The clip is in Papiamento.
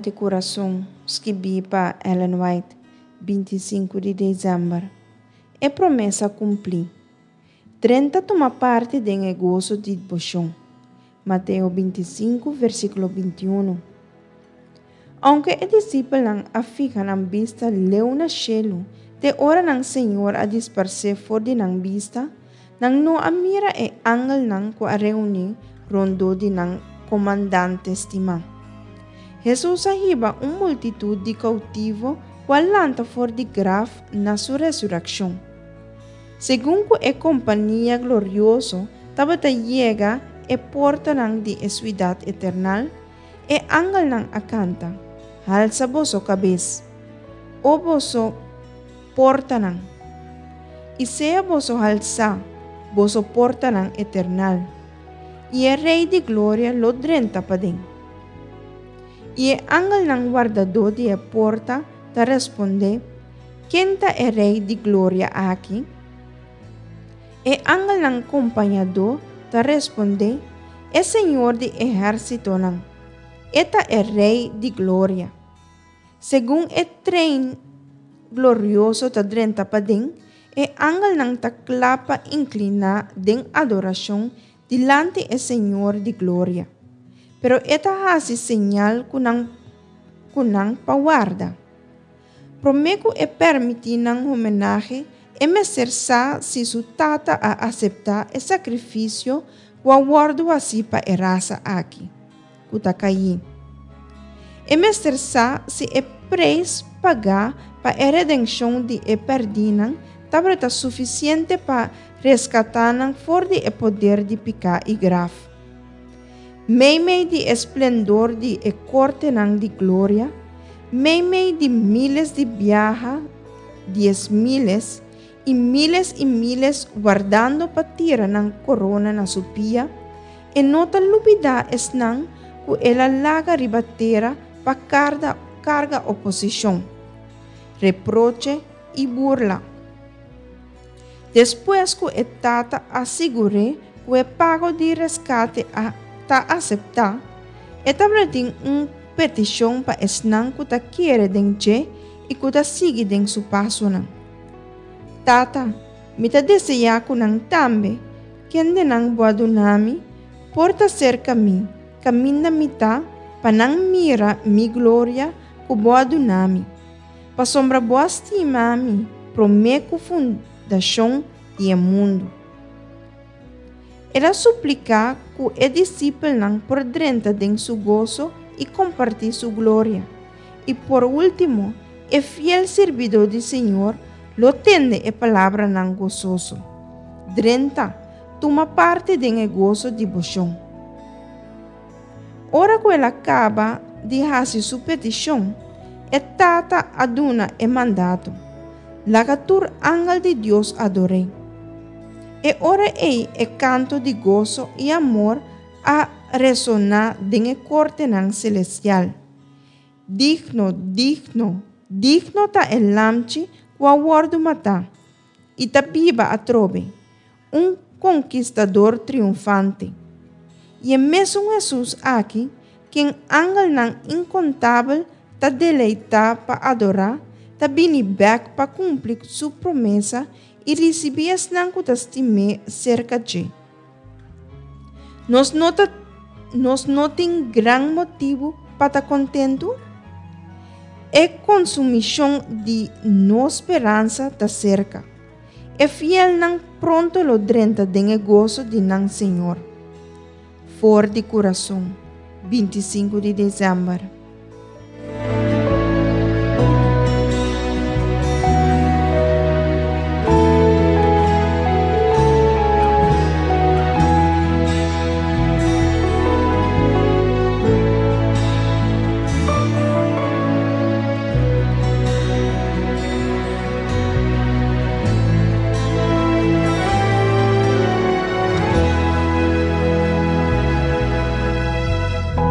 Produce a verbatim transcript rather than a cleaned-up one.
For di Kurason, skibí pa Ellen White, binti sinku di desèmber. E promesa kumplí. Drenta tuma parti den e goso di bo Shon. Mateo binti sinku, versíkulo binti un. Ounke e disipelnan a fiha nan bista leu na shelu, te ora nan Señor a disparsé for di nan bista, nan no a mira e angelnan ku a reuní rondó di nan komandante stimá. Hesus a hiba un multitut di koutivo ku a lanta for di graf na su resurekshon. Segun ku e kompania glorioso tabata yega e portanan di e siudat eternal, e angelnan a kanta, Halsa boso kabes, o boso portanan, i sea boso halsá, boso portanan eternal, i e Rei di Gloria lo drenta paden. I e angelnan wardadó di e porta ta respondé, Ken ta e Rei di Gloria aki? E angelnan kompañadó ta respondé, E Señor di ehérsitonan, e ta e Rei di Gloria. Segun e trein glorioso ta drenta paden, e angelnan ta kla pa inkliná den adorashon dilanti e Señor di Gloria. Pero e ta hasi señal ku nan, ku nan pa warda. Promé ku e permití nan homenahe, e mester sa si su tata a aseptá e sakrifisio ku a wòrdu hasí pa e rasa aki, ku ta kaí. E mester sa si e preis pagá pa e redenshon di e pèrdínan tabata sufisiente pa reskatá nan for di e poder di piká i graf. Meimei di e splendor di e kortenan di gloria, meimei di míles di biaha, dies míles, i míles i míles wardando pa tira nan korona na su pia, e no ta lubidá esnan ku el a laga riba tera pa karga, karga oposishon, reproche i burla. Despues ku e tata a sigur'é ku e pago di reskate a ta aseptá, e tabatin un petishon pa esnan ku ta kere den dje i ku ta sigui den su pasonan. Tata, mi ta deseá ku nan tambe, kendenan bo a duna mi, por ta serka mi, kaminda mi ta, pa nan mira mi gloria ku bo a duna mi. Pasobra bo a stima mi promé ku fundashon di e mundu. El a supliká ku e disipelnan por drenta den su goso i kompartí su gloria. I por último, e fiel sirbidó di Señor lo tende e palabranan gososo. Drenta, tuma parti den e goso di bo Shon. Ora ku el a kaba di hasi su petishon, e tata a duna e mandato. Laga tur angel di Dios ador'é. E ora ei e kanto di goso i amor a resoná den e kortenan selestial. Digno, digno, digno ta e Lamchi ku a wòrdu matá, i ta biba atrobe, un konkistador triunfante. I e mesun Hesus aki, ken angelnan inkontabel ta deleitá pa adorá, ta bini bèk pa kumpli su promesa i risibí esnan ku ta stim'é serka dje. Nos no ta, nos no tin gran motibu pa ta kontentu? E konsumishon di nos speransa ta serka. E fielnan pronto lo drenta den e goso di nan Señor. For di Kurason, binti sinku di desèmber.